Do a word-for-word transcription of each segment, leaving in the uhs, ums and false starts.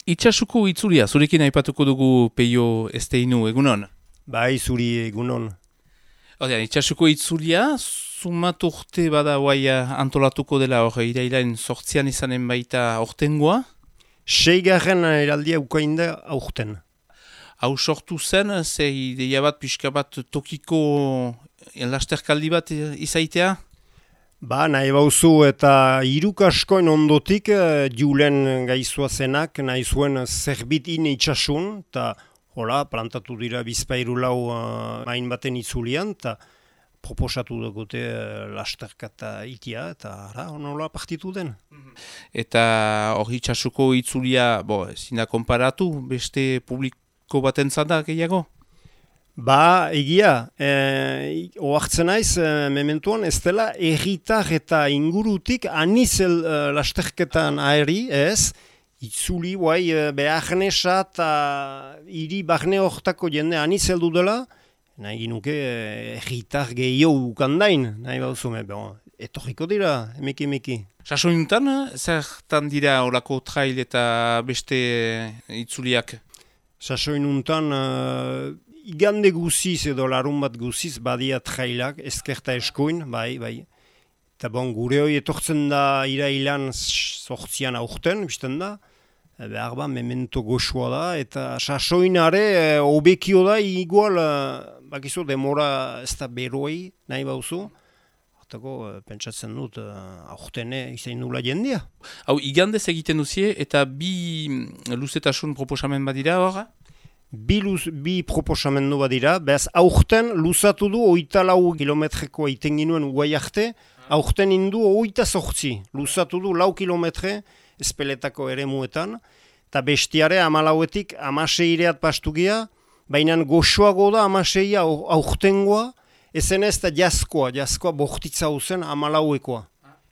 Itxasuko itzulia, zurekin aipatuko dugu Peio Esteinu, egunon? Bai, zuri egunon. Odean, itxasuko itzulia, sumat urte bada guai antolatuko dela hor, irailain sortzian izanen baita ortengoa? Seigarren eraldia ukainda aurten. Hau sortu zen, ze ideia bat, pixka bat tokiko lasterkaldi bat izaitea? Ba, nahi bauzu eta hirukaskoin ondotik julen gaizua zenak, nahi zuen zerbit in itxasun, eta hola, plantatu dira bizpairu lau uh, main baten itzulian, eta proposatu dugute uh, lasterkata itia, eta ara, honola partitu den. Eta hori itxasuko itzulia, bo, zina konparatu, beste publiko baten zada gehiago? Ba, egia, e, oartzen naiz, e, mementuan, ez dela erritar eta ingurutik anizel e, lasterketan aeri, ez? Itzuli, guai, e, beharnesa eta hiri barne hortako jende anizel du dela, nahi ginuke e, erritar gehiago ukandain, nahi bauzume, bon, etorriko dira, emeki emeki. Sasoinuntan, zertan dira olako trail eta beste itzuliak? Sasoinuntan, e, igande guziz edo larun bat guziz badia trailak, ezkerta eskuin, bai, bai. Eta bon, gure hori etortzen da irailan sortzian aurten, bizten da. E, behar ba, memento goxua da, eta sasoinare e, obekio da, igual, e, bakizu, demora ez da beroi, nahi bauzu. Hortako, e, pentsatzen dut, e, aurtene izain nula jendia. Hau, igandez egiten duzie, eta bi luzetasun proposamen badira horra? Bi, luz, bi proposamendu badira, behaz aurten luzatu du oita lau kilometreko iten ginuen uai arte, aurten indu oita sortzi, luzatu du lau kilometre espeletako ere muetan, eta bestiare amalauetik amaseireat pastugia, baina goxoago da amaseia aurtengoa, ezen ez da jaskoa, jaskoa bortitza zen amalauekoa,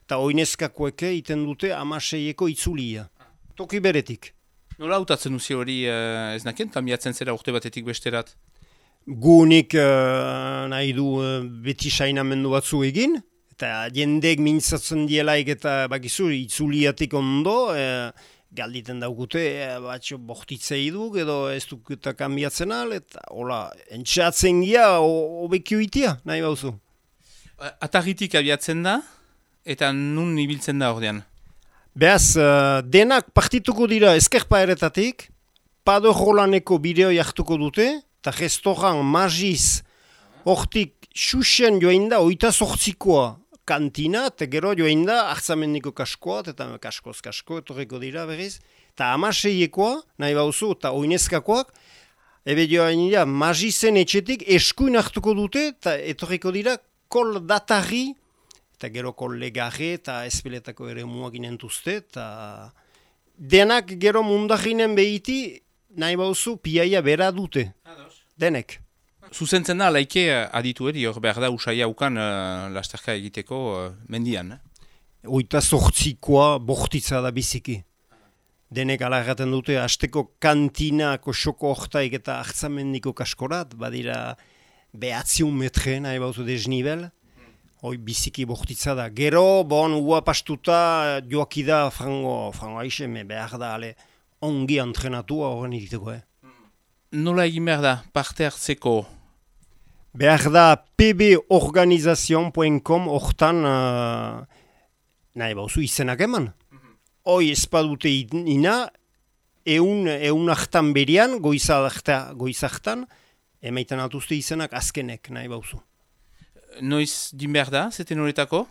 eta oinezkakoeke iten dute amaseieko itzulia, toki beretik. Nola hautatzen duzi hori uh, ez naken, kambiatzen zera urte batetik besterat? Gunik uh, nahi du uh, beti sainamendu batzu egin, eta jendek mintzatzen dielaik eta bakizu itzuliatik ondo, uh, galditen daukute, uh, batxo bortitzei duk edo ez duk eta kambiatzen al, eta hola, entxatzen gira, obekio itia, nahi bauzu. Atarritik abiatzen da, eta nun ibiltzen da ordean? Beaz, uh, denak partituko dira ezkerpa eretatik, Pado Rolaneko bideo jartuko dute, eta restoran Magiz hortik xuxen joain da, oita sortzikoa kantina, eta gero joain da, hartzamendiko kaskoa, eta kaskoz kasko, etorriko dira berriz, eta amaseiekoa, nahi bauzu, eta oinezkakoak, ebe joain dira, Magizen etxetik eskuin hartuko dute, eta etorriko dira, kol datarri, eta gero kolegare eta espeletako ere muak inentuzte, eta denak gero mundarinen behiti, nahi bauzu, piaia bera dute, denek. Zuzentzen da, laike aditu eri, hor behar da usaia ukan uh, lasterka egiteko uh, mendian. Eh? Oita sortzikoa bortitza da biziki. Denek ala erraten dute, hasteko kantinako xoko hortaik eta hartzamendiko kaskorat, badira behatziun metre, nahi bauzu desnibel. Hoi biziki bortitza da. Gero, bon, ua pastuta joakida frango, frango aixeme behar da, ale, ongi entrenatua horren egiteko, eh? Nola egin behar da, parte hartzeko? Behar da p b organization punto com hortan, uh, nahi bauzu izenak eman. Hoi espadute ina, eun, eun hartan berian, goizartan, emaiten altuzte izenak azkenek, nahi bauzu. Noiz din behar da, zeten horretako?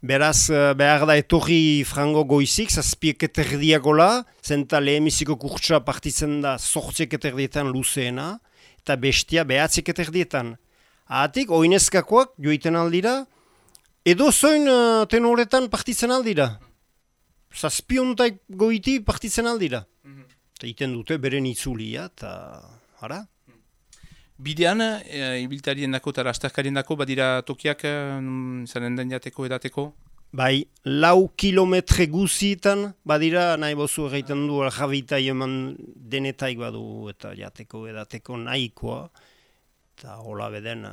Beraz, behar da etorri frango goizik, zazpiek eterdiakola, zenta lehemiziko kurtsa partitzen da sortziek eterdietan luzeena, eta bestia behatziek eterdietan. Ahatik, oinezkakoak joiten aldira, edo zoin uh, tenoretan partitzen aldira. Zazpiontaik goiti partitzen aldira. Eta mm -hmm. iten dute beren itzulia, eta hara. Bidean, e, ibiltarien dako eta lasterkarien dako, badira tokiak e, zanen den jateko edateko? Bai, lau kilometre guzietan, badira nahi bozu egiten du aljabitai eman denetaik badu eta jateko edateko nahikoa. Eta hola beden,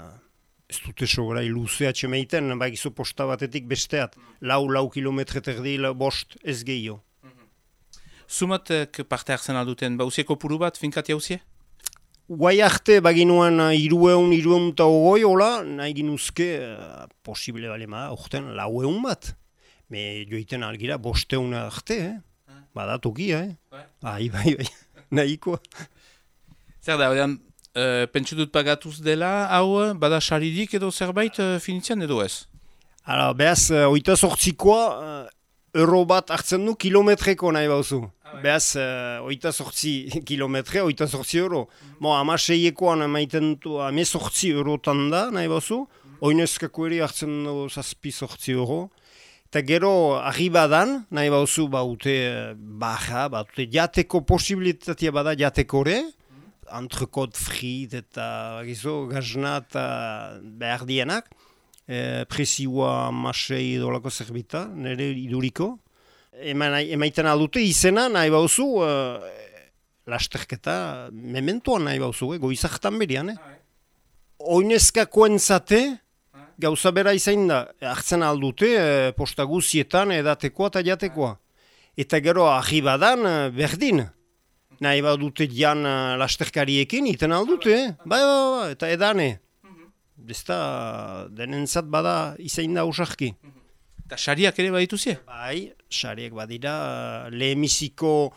ez dute sobrai luzea txemeiten, bakizu posta batetik besteat, lau, lau kilometre terdi, bost ez gehiago. Zumatek parte hartzen alduten, bauzieko puru bat, finkati hauzie? Guai arte baginuan irueun, irueun eta ogoi, hola, nahi ginuzke uh, posible bale ma, orten laueun bat. Me joiten algira bosteun arte, eh? Ah. Bada tokia, eh? Bai, bai, bai, nahikoa. Zer da, odean, uh, pentsu dut pagatuz dela, hau, bada saridik edo zerbait uh, finitzean edo ez? Hala, behaz, uh, oita sortzikoa, uh, euro bat hartzen du kilometreko nahi bauzu. Behaz, uh, oita sortzi kilometre, oita sortzi euro. Mm. Mo, ama seiekoan emaiten du, ame sortzi eurotan da, nahi bauzu. Mm. Oinezkako ere hartzen du zazpi sortzi euro. Eta gero, arribadan, nahi bauzu, baute baja, baute jateko posibilitatea bada jatekore. Mm. Entrecot frit eta gizo, gazna eta behar dienak. E, presioa masei dolako zerbita, nire iduriko. Emaiten aldute izena nahi bauzu, uh, lasterketa mementoan nahi bauzu, eh, goizartan berian. Eh? Oinezkakoen zate, gauza bera izain da, hartzen aldute uh, posta guzietan edatekoa eta jatekoa. Eta gero ahi badan uh, berdin. Nahi badute jan uh, lasterkariekin iten aldute, eh? Bai, bai, bai, eta edane. Besta denentzat bada izain da usarki. Eta xariak ere badituzie? Bai, xariak badira, lehemiziko,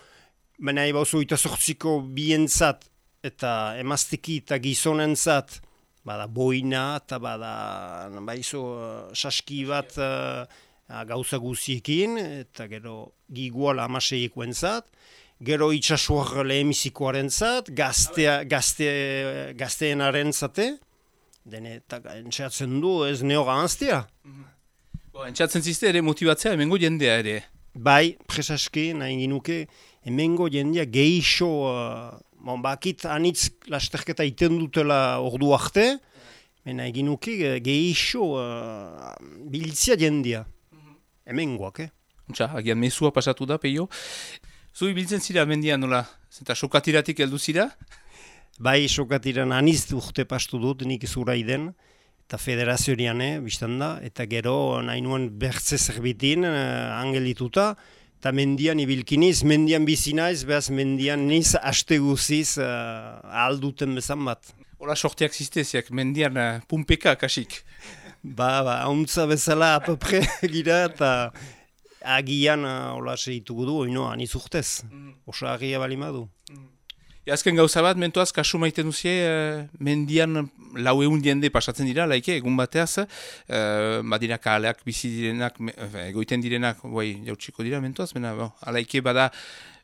nahi bauzu eta sortziko bientzat, eta emazteki eta gizonentzat, bada boina, eta bada baizu saski bat uh, gauza guziekin, eta gero giguala amaseiekuentzat, gero itxasuar lehemizikoaren zat, gaztea, gazte, gazteenaren zate, dene, eta entxeatzen du ez neoga anztia. Mm-hmm. Entzatzen zizte ere motibatzea emengo jendea ere? Bai, presaske, nahi ginuke, emengo jendea geixo, uh, bon, bakit anitz lasterketa iten dutela ordu arte, men nahi ginuke geixo uh, biltzia jendea. Emengoak, eh? Untxa, agian mezua pasatu da, peio. Zui biltzen zira mendian nola? Zenta sokatiratik heldu zira? Bai, sokatiran aniz urte pastu dut, nik zura iden. Eta federazioan, eh, biztan da, eta gero nahi nuen bertze zerbitin, uh, angelituta, eta mendian ibilkiniz, mendian bizinaiz, behaz mendian niz haste guziz uh, alduten bezan bat. Hola sorteak zizteziak, mendian uh, pumpeka kasik. Ba, ba, hauntza bezala apapre gira, eta agian uh, hola segitugu du, oino, aniz urtez, mm. Osa agia balimadu. Mm. Azken gauza bat, mentuaz, kasu maiten duzie, uh, mendian lau egun jende pasatzen dira, laike, egun bateaz, uh, badira kaleak bizi direnak, egoiten direnak, guai, jautsiko dira, mentuaz, bena, bo, alaike bada,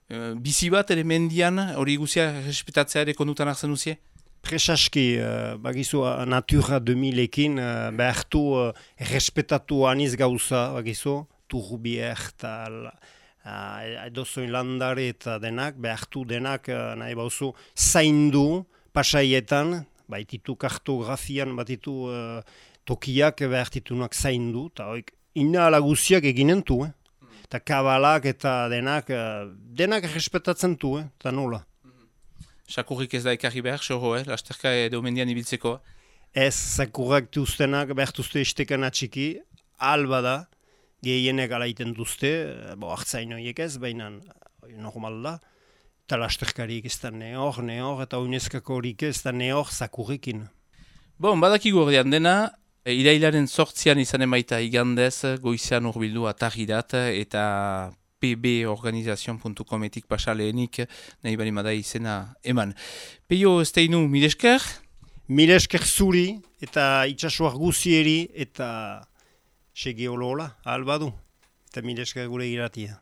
uh, bizi bat ere mendian, hori guzia respetatzea ere kondutan hartzen duzie? Presaski, uh, bagizu, uh, Natura deux milekin, uh, behartu uh, respetatu aniz gauza, bagizu, turbier eta edozoin landare eta denak, behartu denak, nahi bauzu, zaindu pasaietan, baititu kartografian, batitu uh, tokiak behartitunak zaindu, eta hoik, ina alaguziak eginentu, eh? Eta kabalak eta denak, uh, denak respetatzen du, eh? Eta nola. Sakurrik ez da ekarri behar, xorro, eh? Lasterka edo mendian ibiltzeko? Ez, sakurrak duztenak behartuzte istekan atxiki, alba da, gehienek alaiten duzte, bo hartzain horiek ez, baina normal da, eta lasterkarik ez da nehor, nehor, eta uinezkako horik ez da nehor zakurrikin. Bon, badakigu ordean dena, irailaren sortzian izanen baita igandez, goizean urbildu atarridat, eta p b organizazio puntu cometik pasa lehenik, nahi bali madai izena eman. Peio esteinu, milesker? Milesker zuri, eta itxasuar guzieri, eta segi olo hola, albadu, eta mileska gure iratia.